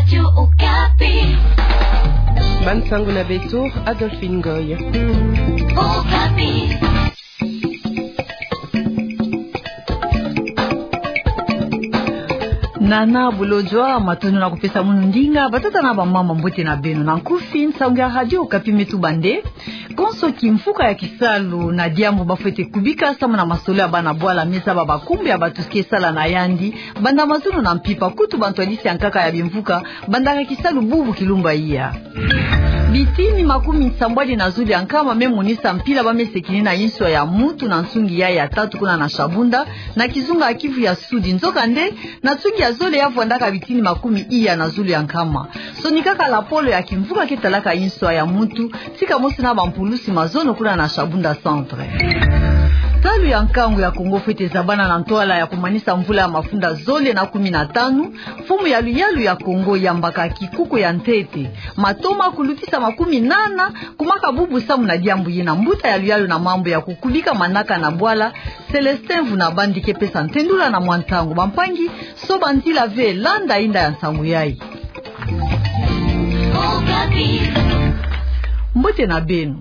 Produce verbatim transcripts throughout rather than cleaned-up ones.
Radio Okapi. Bansangu na beto, Adolphine Ngoy. Okapi. Nana Bolodjwa, matondo na kupesa munu ndinga, batata na bamama, mbote na beno. Na nkufi, nsangu ya Radio Okapi me tuba nde: konso kimvuka ya kisalu na diambu bafwete kubika samu na masolo ya bana bwala me zaba bankumbu ya bato ke sala na yandi, banda mazono na mpimpa, kutu bantwadisi ya nkaka ya bimvuka bandaka kisalu bubu kilumbu ya iya. Bitini makumi nsambwadi na zole ya nkama me monisa mpila ba me sekini na inswa ya muntu na nsungi yayi ya tatu kuna na Shabunda, na kizunga ya Kivu ya Sudi. Nzokande, na nsungi ya zole ya vwandaka bitini makumi iya na zole ya nkama, sonikaka lapolo ya kimvuka ke talaka inswa ya muntu, tika mosi na bampulusi mazono kuna na Shabunda Centre. Ntalu ya nkangu ya Kongo fwete zabana na ntwala ya kumanisa mvula ya mafunda zole na kumi na tanu, mfumu ya luyalu ya Kongo yambaka kikuku ya ntete, matoma kulutisa makumi nana, kumaka bubu samu na diambu yina. Mbuta ya luyalu na mambu ya kukubika manaka na bwala, Célestin Vunabandi, ke pesa ntendula na mwa ntangu. Bampangi, soba nzila ve, landa inda ya nsangu yayi. Mbote na beno.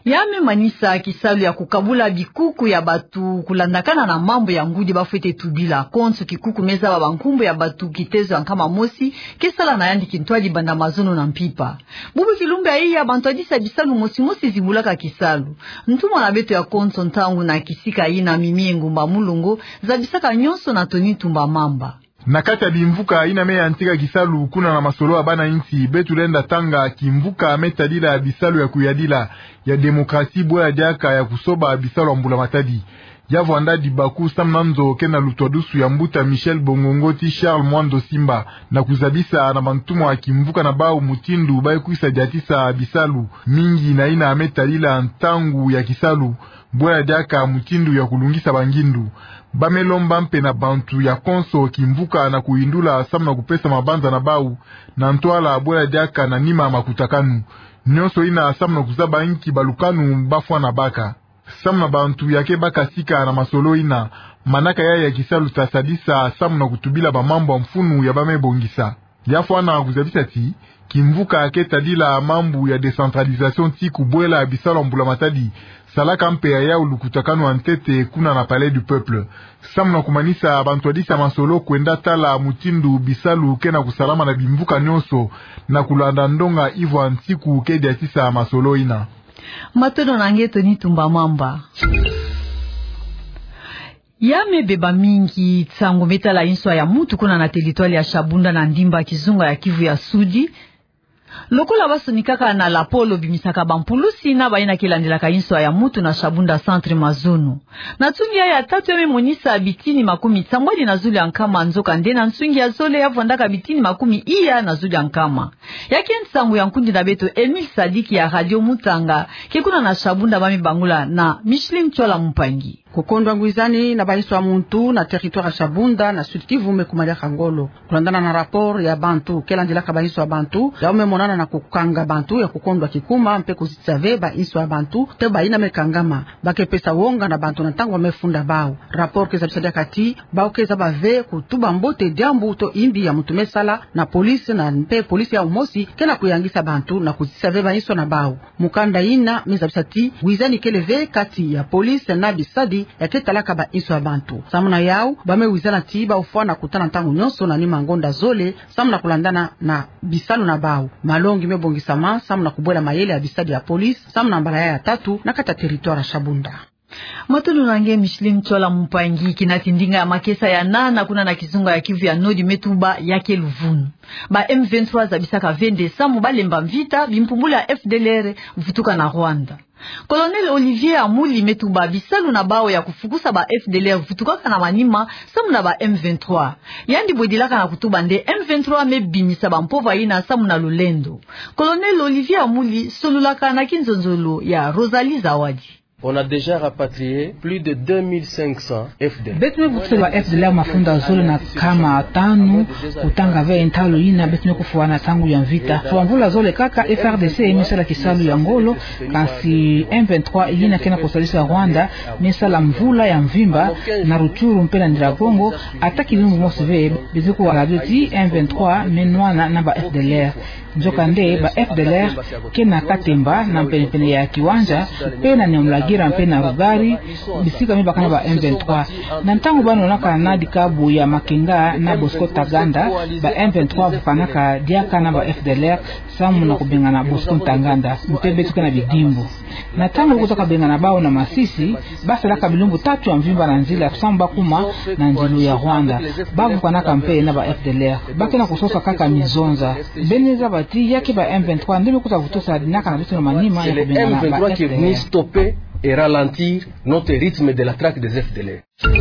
Ya me manisa kisalu ya kukabula bikuku ya bato kulandakana na mambu ya ngudi bafwete tubila. Konso kikuku me zaba bankumbu ya bato kitezo ya nkama mosi ke sala na yandi kintwadi banda mazono na mpimpa. Bubu kilumbu ya iya, bantwadisi ya bisalu mosi mosi zibulaka kisalu. Ntumwa na beto ya konso ntangu na kisika yina, Mimi Ngumba Mulongo, zabisaka nyonso na Tony Tumba Mamba. Na kati ya bimvuka yina me yantika kisalu kuna na masolo ya bana insi, beto lenda tanga kimvuka me tadila bisalu ya kuyadila, ya démocratie, bwe ya diaka ya kusoba bisalu ya mbula matadi. Ya vwanda dibaku samu na nzo ke na lutwadusu ya mbuta Michel Bongongo ti Charles Mwando Simba, na kuzabisa na bantumwa ya kimvuka na bau mutindu ba ye kwisa diatisa bisalu mingi na yina me tadila ntangu ya kisalu, bwe ya diaka mutindu ya kulungisa bangindu. Ba me lomba mpe na bantu ya konso kimvuka na kuyindula samu na kupesa mabanza na bau na ntwala, bwe ya diaka na nima makutakanu. Nyonso yina samu na kuzaba inki balukanu ba fwana baka. Samu na bantu ya ke baka sika na masolo yina, manaka yayi ya kisalu ta sadisa samu na kutubila bamambu ya mfunu ya ba me bongisa. Ya fwana kuzabisa ti kimvuka ke tadila mambu ya décentralisation ti kubwela bisalu ya mbula matadi, salaka mpe ya yau lukutakanu ya ntete kuna na Palais du Peuple. Samu na kumanisa, bantwadisi ya masolo kwenda tala mutindu bisalu ke na kusalama na bimvuka nyonso, na kulanda ndonga ivwa nsiku ke diatisa masolo yina. Matondo na nge Tony Tumba Mamba. Ya me beba mingi nsangu me tala inswa ya muntu kuna na territoire ya Shabunda na ndimba kizunga ya Kivu ya Sudi. Lokola ba sonikaka na lapolo bimisaka bampulusi na bayina ke landilaka inswa ya muntu na Shabunda Centre mazono. Na nsungi ya tatu ya me monisa bitini makumi nsambwadi na zulu ya nkama, nzokande na nsungi ya zole ya vwandaka bitini makumi iya na zulu ya nkama. Ya ke nsangu ya nkundi na beto Emile Sadiki ya Radio Mutanga, ke kuna na Shabunda, ba me bangula na Micheline Tchola Mpangi. Kukondwa ngwizani na ba inswa ya muntu na territoire ya Shabunda na Sud-Kivu me kumariaka ngolo. Kulandana na rapport ya bantu ke landilaka ba inswa ya bantu, yau me monana na kukanga bantu ya kukondwa kikuma mpe kuzitisa ve ba inswa ya bantu, te bayina me kangama, ba ke pesa wonga na bantu na ntangu ba me funda bau. Rapport ke zabisa diaka ti bau ke zaba ve kutuba mbote diambu to imbi ya muntu me sala na police, na mpe police yau mosi ke na kuyangisa bantu na kuzitisa ve ba inswa na bau. Mukanda yina me zabisa ti wizani kele ve kati ya police na bisadi ya ke talaka ba inswa ya bantu. Samu na yau, ba me wizana ti bau fwana kutana ntangu nyonso na nima ngonda zole, samu na kulandana na bisalu na bau. Malongi me bongisama samu na kubwela mayele ya bisadi ya police, samu na mbala ya tatu na kati ya territoire ya Shabunda. Matondo na nge Micheline Tchola Mpangi. Kina ti ndinga ya makesa ya nana kuna na kizunga ya Kivu ya Nord me tuba ya ke luvunu. Ba M vingt-trois zabisaka ve nde samu ba lemba mvita bimpumbulu ya F D L R vutuka na Rwanda. Colonel Olivier Amuli me tuba bisalu na bau ya kufukusa ba F D L R vutukaka na manima samu na ba M vingt-trois. Yandi bwedilaka na kutuba nde M vingt-trois me bimisa bampova yina samu na lulendo. Colonel Olivier Amuli solulaka na kinzonzolo ya Rosalie Zawadi. On a déjà rapatrié plus de deux mille cinq cents F D L R. Beto me vutusa ba F D L R mafunda zole na nkama tanu, kutanga ve ntalu yina beto me kufwana ntangu ya mvita. Mvula zole kaka F R D C me sala kisalu ya ngolo, kansi M vingt-trois yina ke na kusadisa Rwanda, me sala mvula ya mvimba, na Rutshuru mpe na Nyiragongo, ata kilumbu mosi ve, beto kuwa radio ti M vingt-trois me nwana na ba F D L R. Nzokande, ba F D L R ke na katemba na mpene-mpene ya kiwanja, mpe na Nyamulagira mpe na Rugari, bisika me baka na ba M vingt-trois. Na ntangu ba nwanaka na dikabu ya Makenga na Bosco Ntaganda, ba M vingt-trois vukanaka diaka na ba F D L R, samu na kubengana Bosco Ntaganda, mpe beto ke na bidimbu. Na ntangu kutaka bengana bau na Masisi, ba salaka bilumbu tatu ya mvimba na nzila samu ba kuma na nzilu ya Rwanda. Ba vukanaka mpe na ba F D L R. Ba ke na kusosa kaka mizonza. Beno zaba ti ya ke ba M vingt-trois nde me kuta vutusa dinaka na beto na manima ya kubengana ba F D L R. C'est les M vingt-trois qui est venu stopper et ralentir notre rythme de la traque des F D L R.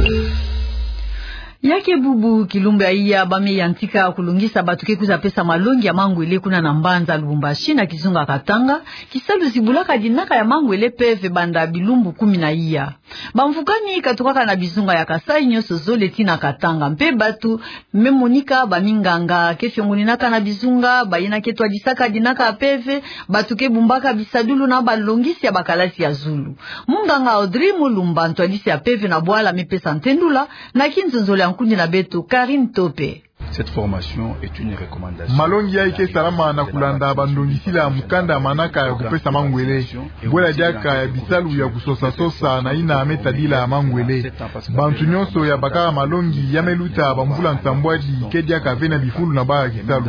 Ya ke bubu kilumbu ya iya ba me yantika kulongisa bato ke kwiza pesa malongi ya mangwele kuna na mbanza Lubumbashi na kizunga Katanga, kisalu zibulaka dinaka ya mangwele mpeve banda bilumbu kumi na iya. Bamvukani katukaka na bizunga ya Kasai nyonso zole tii na Katanga. Mpe bato me monika, baminganga ke fiongoninaka na bizunga, bayina ke twadisaka dinaka ya mpeve, bato ke bumbaka bisadulu na balongisi ya bakalasi ya zulu. Munganga Audrey Mulumba, ntwadisi ya mpeve na bwala, me pesa ntendula na kinzonzolo ya nkundi na beto Karine Tope. Cette formation est une recommandation. Malongi yayi ke salama na kulanda bandongisila mukanda manaka ya kupesa mangwele. Bwela diaka ya bisalu ya kusosa-sosa na yina me tadila mangwele. Bantu nyonso ya bakaka malongi ya me luta bamvula nsambwadi ke diaka ve na bifulu na bau ya kisalu.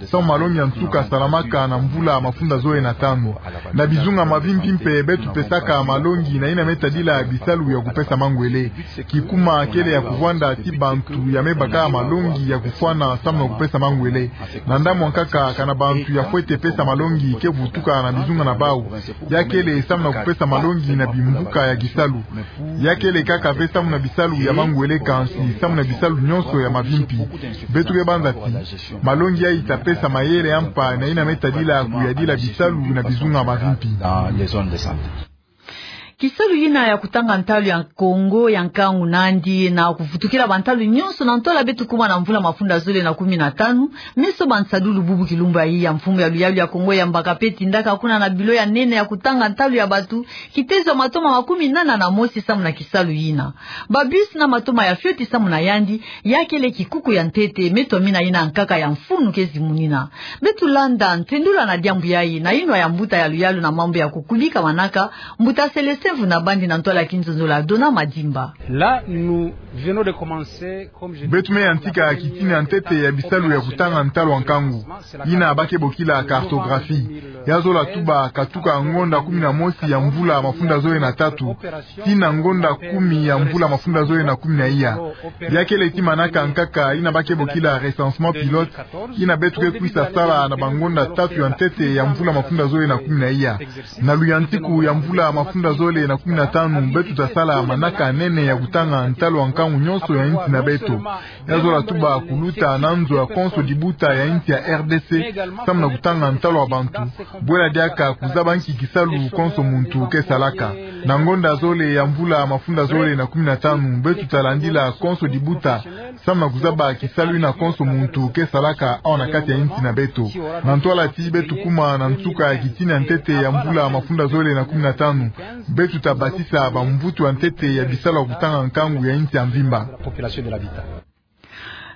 Samu malongi ya nsuka salamaka na mvula mafunda zole na tanu. Na bizunga mavimpi mpe beto pesaka malongi na yina me tadila bisalu ya kupesa mangwele. Kikuma kele ya kuvwanda ti bantu ya me baka malongi ya kufwana samu na kupesa mangwele. Na ndambu ya nkaka, kana bantu ya fwete pesa malongi ke vutuka na bizunga na bau. Ya kele samu na kupesa malongi na bimvuka ya kisalu. Ya kele kaka ve samu na bisalu ya mangwele, kansi samu na bisalu nyonso ya mavimpi. Beto ke banza ti malongi yayi ta pesa mayele ya mpa na yina me tadila kuyadila bisalu na bizunga mavimpi. Dans les zones de santé. Kisalu yina ya kutanga ntalu ya Kongo ya nkangu nandi na kuvutukila bantalu nyonso na ntwala beto kuma na mvula mafunda zole na kumi na tanu, me soba nsadulu bubu kilumbu ya iya. Mfumu ya luyalu ya Kongo yambaka mpe tindaka kuna na bilo ya nene ya kutanga ntalu ya bato kitezo ya matoma makumi nana na mosi samu na kisalu yina. Ba bus na matoma ya fioti samu na yandi, ya kele kikuku ya ntete me twamina yina nkaka ya mfunu ke zimunina. Beto landa ntendula na diambu yayi na yinwa ya mbuta ya luyalu na mambu ya kukubika manaka, mbuta Célestin Vunabandi na ntwala kinzonzolo ya Dona Madimba. Là, nous venons de commencer, comme je Beto me yantika kitini ya ntete ya bisalu ya kutanga ntalu ya nkangu, yina ba ke bokila cartographie. Ya zola tuba katuka ngonda kumi na mosi ya mvula mafunda zole na tatu tii na ngonda kumi ya mvula mafunda zole na kumi na iya. Ya kele ti manaka nkaka yina ba ke bokila recensement pilote, yina beto ke kwisa sala na bangonda tatu ya ntete ya mvula mafunda zole na kumi na iya. Na luyantiku ya mvula mafunda zole na kumi na tanu, beto ta sala manaka nene ya kutanga ntalu ya nkangu nyonso ya insi na beto. Ya zola tuba kuluta na nzo ya konso dibuta ya insi ya R D C, samu na kutanga ntalu ya bantu. Bwela diaka kuzaba nki kisalu konso muntu ke salaka. Na ngonda zole ya mvula mafunda zole na kumi na tanu, beto ta landila konso dibuta, samu na kuzaba kisalu yina konso muntu ke salaka awa na kati ya insi na beto. Na ntwala ti beto kuma na nsuka ya kitini ya ntete ya mvula mafunda zole na kumi na tanu, beto ta basisa bamvutu ya ntete ya bisalu ya kutanga nkangu ya insi ya mvimba.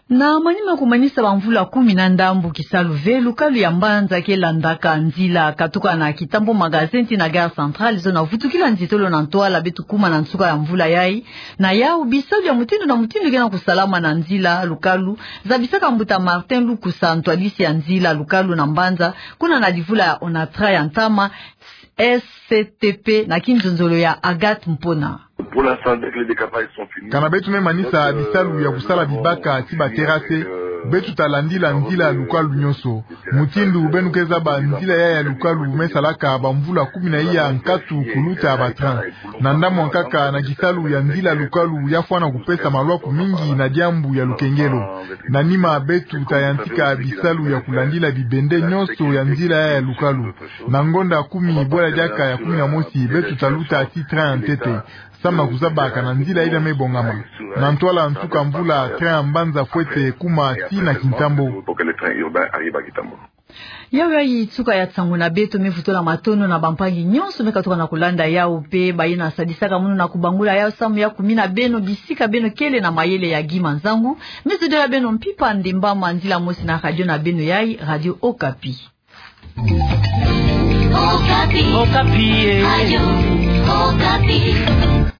Na manima kumanisa bamvula kumi na ndambu kisalu ve, lukalu ya mbanza ke landaka nzila katuka na Kitambo Magasin tii na Gare Centrale, zo na vutukila nzitolo na ntwala beto kuma na nsuka ya mvula yayi. Na yau, bisalu ya mutindu na mutindu ke na kusalama na nzila lukalu, zabisaka mbuta Martin Lukusa, ntwadisi ya nzila lukalu na mbanza, kuna na livula ya Onatra ya ntama, S C T P, na kinzonzolo ya Agathe Mpona. Pour l'instant, dès que les décapages sont finis, Kana beto me manisa bisalu ya kusala bibaka tii ba terrasse, beto ta landila nzila lukalu nyonso. Mutindu beno ke zaba, nzila yai ya lukalu me salaka bamvula kumi na iya nkatu kuluta ba train. Na ndambu ya nkaka, na kisalu ya nzila lukalu ya fwana kupesa malwaku mingi na diambu ya lukengelo. Na nima, beto ta yantika bisalu ya kulandila bibende nyonso ya nzila yai ya lukalu. Na ngonda kumi bwela diaka ya kumi na mosi, beto ta luta tii train ya ntete. Samu na kuzaba kana nzila yina me bongama. Na ntwala nsuka mvula, train ya mbanza fwete kuma tii na Kintambo. Yawu yayi nsuka ya nsangu na beto. Me vutula matondo na bampangi nyonso me katuka na kulanda yawu, mpe bayina sadisaka munu na kubangula yawu samu ya kumina beno bisika beno kele na mayele ya Guy Manzangu. Me zodila beno mpimpa ndemba ma nzila mosi na radio na beno yayi, Radio Okapi. Okapi. Okapi, eh. Radio Okapi.